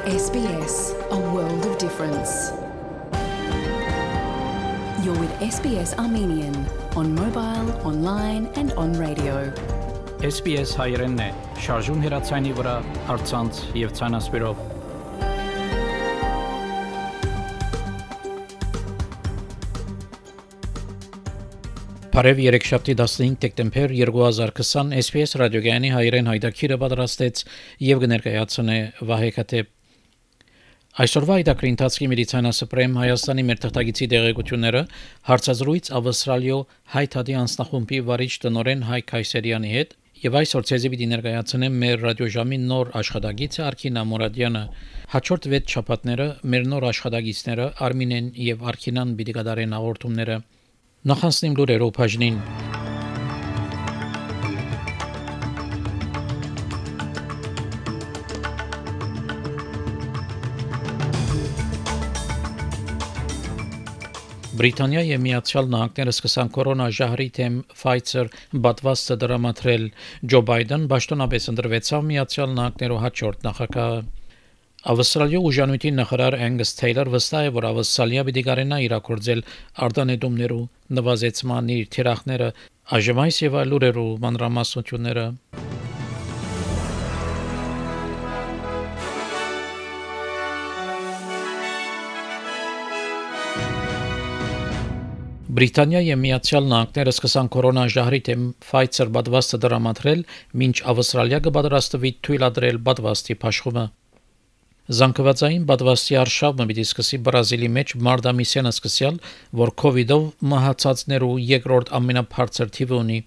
SBS, a world of difference. You're with SBS Armenian on mobile, online and on radio. SBS հայերենն է, շարժուն հեռացանի վրա, առցանց եւ ցանասպիրով։ Բարև երեքշաբթի 15 դեկտեմբեր 2020 SBS ռադիոգյանի հայերեն հայտակիրը պատրաստեց եւ կներկայացնե Վահե Քաթեփ։ Այսօրվա հայտակրի ընթացքի մեդիցինասպրեմ Հայաստանի մեր թղթագիտի դեղեցությունները հարցազրույց Ավստրալիո հայ-թադի անձնախումբի վարիչ տնօրեն Հայկ Քայսերյանի հետ եւ այսօր ցեզի պիտի ներկայացնեմ մեր ռադիոժամի նոր աշխատագիծը Արքինա Մուրադյանը։ Հաջորդ 6 շաբաթները մեր նոր աշխատագիծները Արմինեն եւ Արքինան պիտի կատարեն հաղորդումները։ Նախանցնեմ լուրերով բաժնին։ Բրիտանիայի եւ Միացյալ Նահանգները սկսան կորոնաժահրի թեմ Pfizer պատվաստը դրամատրել։ Ջո Բայդեն պաշտոնապես ընտրվեցավ Միացյալ Նահանգներու հաջորդ նախագահը։ Ավստրալիա ուժանույթի նախարար Angus Taylor վստահ է, որ Ավստրալիա պիտի կարենա իրագործել արտանետումներու նվազեցման իր թիրախները, այժմ այս եւ այլ լուրերու մանրամասնությունները։ Բրիտանիայի եւ Միացյալ Նահանգները սկսան կորոնաժահրի թեմ Pfizer պատվաստը դրամատրել, մինչ Ավստրալիա կպատրաստվի թույլատրել պատվաստի փաշխումը։ Զանգվածային պատվաստի արշավը պիտի սկսի Բրազիլի մեջ մարտ ամիսյան սկսյալ, որ COVID-ով մահացածներու երկրորդ ամենաբարձր թիվը ունի։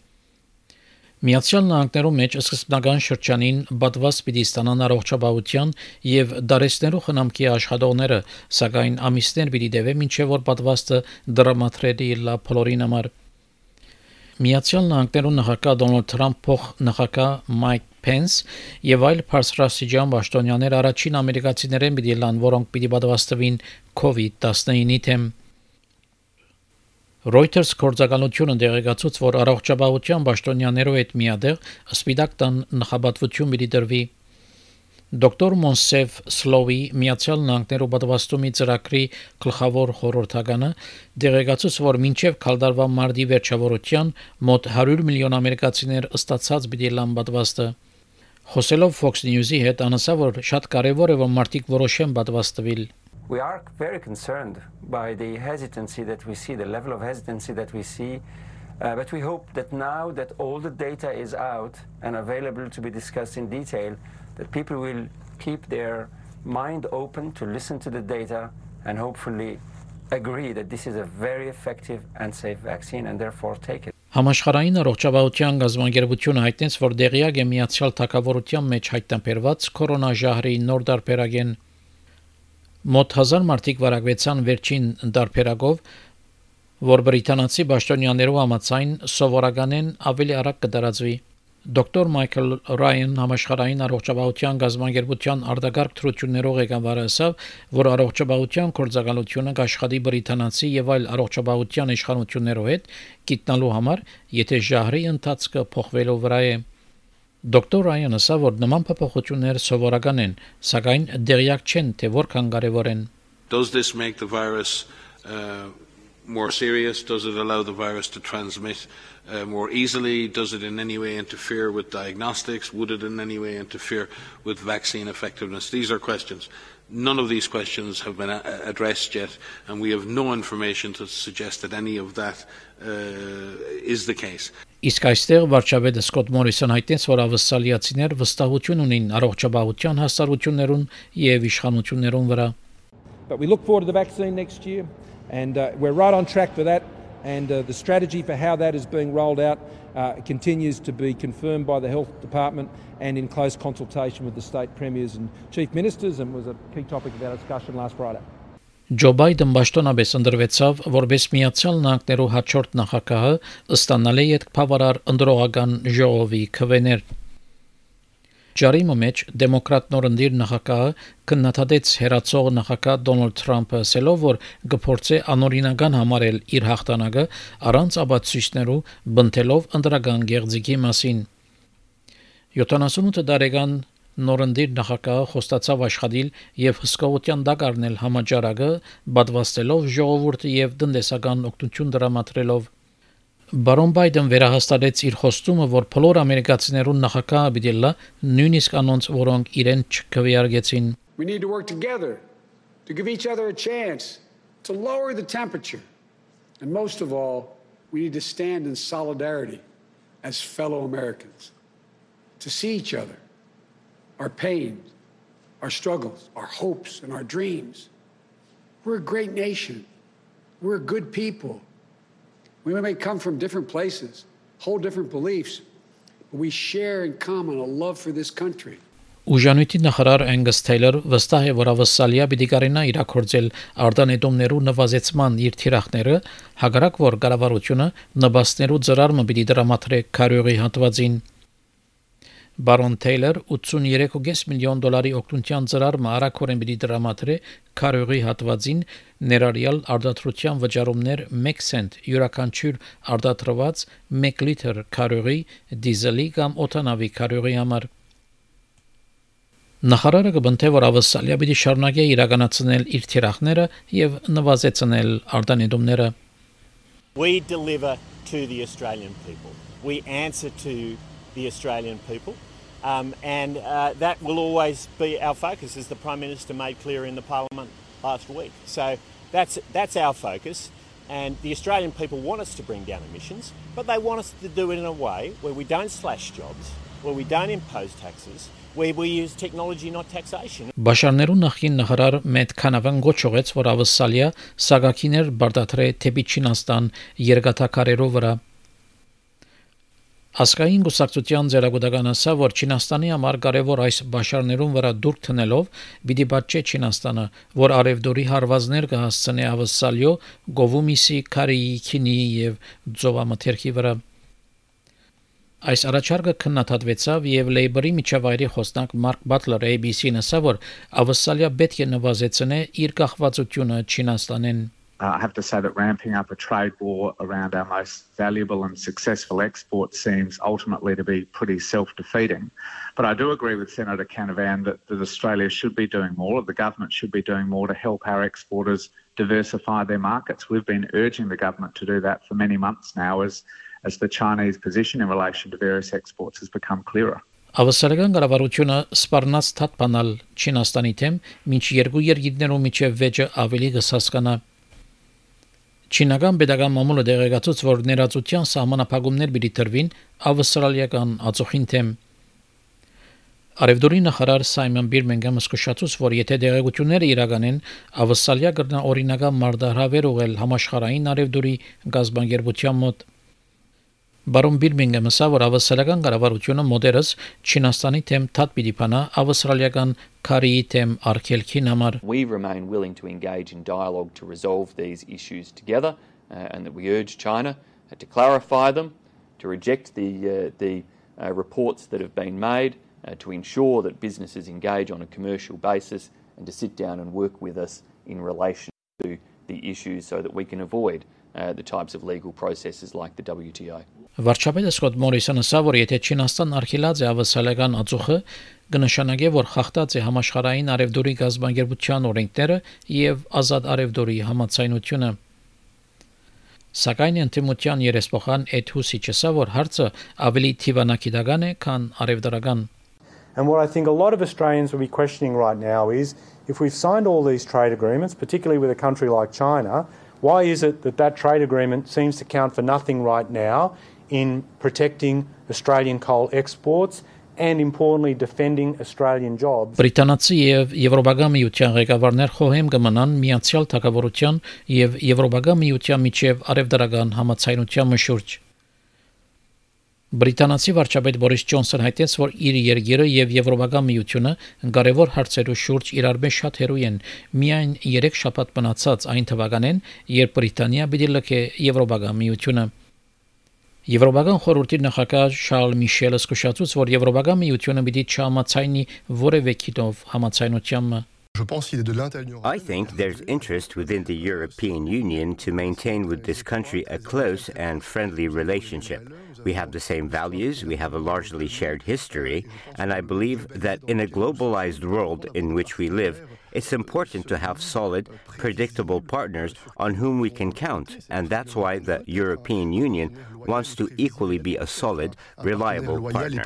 Միացյալ Նահանգներու մեջ սկզբնական շրջանին պատվաստ պիտի ստանան առողջապահության եւ դարեցներու խնամքի աշխատողները, սակայն ամիսներ պիտի տևե մինչեւ որ պատվաստը դրամատրելի լա բոլորին համար։ Միացյալ Նահանգներու նախագահ Դոնալդ Թրամփ փոխնախագահ Մայք Փենս եւ այլ բարձրաստիճան պաշտոնյաներ առաջին ամերիկացիներեն պիտի լան, որոնք պիտի պատվաստվին COVID-19-ի թեմ։ Reuters գործակալությունը դեղեկացուց, որ առողջապահության պաշտոնյաներով հետ միադեղ սպիտակ տան նախապատվություն պիտի դրվի։ Դոկտոր Մոնսեֆ Սլովի Միացյալ Նահանգներու պատվաստումի ծրագրի գլխավոր խորհրդականը դեղեկացուց, որ մինչև քալդարվա մարտի վերջավորության մոտ 100 միլիոն ամերիկացիներ ստացած պիտի լան պատվաստը։ Խոսելով Fox News-ի հետ անասավ, որ շատ կարևոր է, որ մարդիկ որոշեն պատվաստվել։ We are very concerned by the hesitancy that we see, the level of hesitancy that we see, but we hope that now that all the data is out and available to be discussed in detail, that people will keep their mind open to listen to the data and hopefully agree that this is a very effective and safe vaccine and therefore take it. Համաշխարհային առողջապահության գազམ་ագերբությունը հայտնեց, որ դեղյակ է Միացյալ Թագավորության մեջ հայտնաբերված կորոնաժահրի նոր դարբերագեն։ Մոտ 1000 մարդիկ վարակվեցան վերջին դարբերակով, որ բրիտանացի պաշտոնյաներու համաձայն սովորականեն ավելի արագ կդարածվի։ Դոկտոր Մայքլ Ռայան համաշխարհային առողջապահության գազམ་ագերբության արտագաղթ թրություններով ղեկավարը ասավ, որ առողջապահության գործակալությունը կաշխատի բրիտանացի եւ այլ առողջապահության իշխանություններով հետ գիտնալու համար, եթե ժահրի ընթացքը փոխվելու վրա է։ Դոկտոր Ռայանը ասավ, որ նման փոփոխություններ սովորական են, սակայն դեղյակ չեն, թե որքան կարևոր են։ Does this make the virus more serious? Does it allow the virus to transmit more easily? Does it in any way interfere with diagnostics? Would it in any way interfere with vaccine effectiveness? These are questions. None of these questions have been addressed yet, and we have no information to suggest that any of that is the case. Իսկ այստեղ վարչապետը Սկոտ Մորիսոն հայտնեց, որ ավստրալիացիներ վստահություն ունին առողջապահության հասարություններուն եւ իշխանություններուն վրա։ But we look forward to the vaccine next year, and we're right on track for that, and the strategy for how that is being rolled out continues to be confirmed by the Health Department and in close consultation with the state premiers and chief ministers, and was a key topic of our discussion last Friday. Ջո Բայդեն պաշտոնապես ընտրվեցավ, որպես Միացյալ Նահանգներու հաջորդ նախագահը, ստանալ է այդ բավարար ընդրողական ժողովի քվեներ։ Ջարիմը մեջ դեմոկրատ նորընտիր նախագահը քննադատեց հերացող նախագահ Դոնալդ Թրամփը, ասելով, որ կփորձի անօրինական համարել իր հաղթանակը առանց ապացույցներու, բնթելով ընդրական գեղձիկի մասին։ 78 տարեկան նորնդիր նախագահը խոստացավ աշխատել եւ հսկողության դակ առնել համաճարակը, պատվաստելով ժողովուրդը եւ տնտեսական օգնություն դրամատրելով։ Բարոն Բայդեն վերահաստատեց իր խոստումը, որ բոլոր ամերիկացիներուն նախագահը պիտի լա նույնիսկ անոնց, որոնք իրեն չքվեարկեցին։ We need to work together to give each other a chance to lower the temperature. And most of all, we need to stand in solidarity as fellow Americans, to see each other, our pains, our struggles, our hopes, and our dreams. We're a great nation. We're good people. We may come from different places, hold different beliefs, but we share in common a love for this country. Ուժանույթի նախարար Angus Taylor վստահ է, որ ավսալիա պիտի կարենա իրակորձել արտանետումներու նվազեցման իր թիրախները, հակառակ որ կառավարությունը նպաստներու ծրարը պիտի դրամատրե քարյուղի հատվածին։ Բարոն Թեյլեր 83.5 միլիոն դոլարի օգնության ծրարը արագորեն պիտի դրամատրե քարյուղի հատվածին, ներառյալ արտադրության վճարումներ 1 սենտ յուրաքանչյուր արտադրված 1 լիտր քարյուղի դիզելի կամ օթանավի քարյուղի համար։ Նախարարը կբնթե, որ ավսալիա պիտի շարունակի իրականացնել իր թիրախները եւ նվազեցնել արտանետումները։ We deliver to the Australian people. We answer to the Australian people. And that will always be our focus, as the Prime Minister made clear in the Parliament last week. So that's our focus. And the Australian people want us to bring down emissions, but they want us to do it in a way where we don't slash jobs, where we don't impose taxes, where we use technology, not taxation. Բաշարներու նախին նախարար Մետ Քանավան գոչողեց, որ ավսալիա սագակիներ բարդատրե թեպի Չինաստան երկաթակարերով վրա։ Ասկային գուսակցության ձեռագուտական ասա, որ Չինաստանի համար կարևոր այս բաշարներուն վրա դուրք տնելով պիտի բաճե Չինաստանը, որ արևդորի հարվածներ կհասցնի ավսալիո գովումիսի քարիի քինի եւ ծովամթերքի վրա։ Այս առաջարկը քննադատվեցավ եւ Լեյբորի միջավայրի խոսնակ Մարկ Բատլեր ABC-ն ասա, որ ավսալիա պետք է նվազեցնե իր կախվածությունը Չինաստանեն։ I have to say that ramping up a trade war around our most valuable and successful export seems ultimately to be pretty self-defeating. But I do agree with Senator Canavan that Australia should be doing more, the government should be doing more to help our exporters diversify their markets. We've been urging the government to do that for many months now as the Chinese position in relation to various exports has become clearer. Ավսալական կառավարությունը սպառնաց թափանալ Չինաստանի թեմ, մինչ երկու երկիրներու միջև վեճը ավելի կսասկանա։ Չինական pedagogan մամուլը դեղեկացուց, որ ներածության սահմանափակումներ պիտի տրվին ավստրալիական ածուխին թեմ։ Արևդորի նախարար Սայմոն Բիրմինգհամը զսկուշացուց, որ եթե դեղեցությունները իրականեն, ավստրալիա կգտնա օրինական մարտահրավեր ուղղել համաշխարհային արևդորի գազբանգերության մոտ։ Բարոն Բիրմինգհամը ասա, որ ավստրալիական կառավարությունը մոդերս Չինաստանի թեմ թափ պիտի փանա ավստրալիական քարիի թեմ արգելքին համար։ We remain willing to engage in dialogue to resolve these issues together and that we urge China to clarify them, to reject the reports that have been made, to ensure that businesses engage on a commercial basis and to sit down and work with us in relation to the issues so that we can avoid the types of legal processes like the WTO. Վարչապետը Սկոտ Մորիսոնը ասա, որ եթե Չինաստան արգելած է ավսալական ածուխը, կնշանակի, որ խախտած է համաշխարհային արևդորի գազբանգերության օրենքները եւ ազատ արևդորի համաձայնությունը։ Սակայն ընդդիմության երեսփոխան Էդ Հուսիչը ասա, որ հարցը ավելի թիվանակիտական է, քան արևդրական։ And what I think a lot of Australians will be questioning right now is if we've signed all these trade agreements, particularly with a country like China, why is it that trade agreement seems to count for nothing right now in protecting Australian coal exports and importantly defending Australian jobs? Բրիտանացի եւ Եվրոպական միության ղեկավարներ խոհեմ կմնան Միացյալ Թագավորության եւ Եվրոպական միության միջև արևդրական համաձայնության մշուրջ։ Բրիտանացի վարչապետ Բորիս Ջոնսոնը հայտեց, որ իր երկիրը եւ Եվրոպական միությունը կարևոր հարցերու շուրջ իրար մեջ շատ հերոյ են, միայն 3 շաբաթ մնացած այն թվականին, երբ Բրիտանիա պիտի լքե Եվրոպական միությունը։ Եվրոպական խորհրդի նախագահ Շարլ Միշելը զսկուշացուց, որ Եվրոպական միությունը պիտի չհամաձայնի որևէ քիթով համաձայնությանը։ I think there's interest within the European Union to maintain with this country a close and friendly relationship. We have the same values, we have a largely shared history, and I believe that in a globalized world in which we live, it's important to have solid, predictable partners on whom we can count, and that's why the European Union wants to equally be a solid, reliable partner.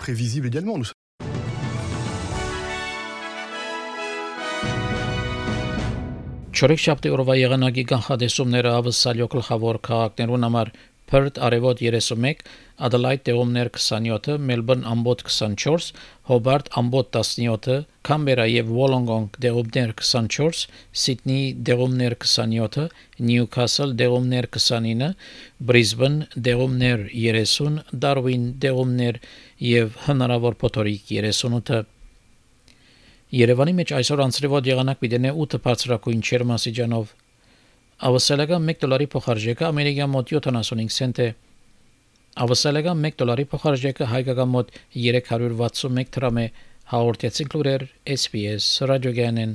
Չորեքշաբթի օրվա եղանակի կանխատեսումները ավսալյո գլխավոր քաղաքներուն համար Perth արևոտ 31, Adelaide դեղումներ 27, Melbourne ամբոտ 24, Hobart ամբոտ 17, Canberra եւ Wollongong դեղումներ 24, Sydney դեղումներ 27, Newcastle դեղումներ 29, Brisbane դեղումներ 30, Darwin դեղումներ եւ հնարավոր փոթորիկ 38 Երևանի մեջ այսօր անցրևոտ եղանակ պիտենե 8 բարձրակույն չերմասիջանով Ավսալական $1 փոխարժեքը ամերիկյան մոտ 75 سنت է Ավսալական $1 փոխարժեքը հայկական մոտ 361 դրամ է հաղորդեցին լուրեր SPS ռադիոգյանեն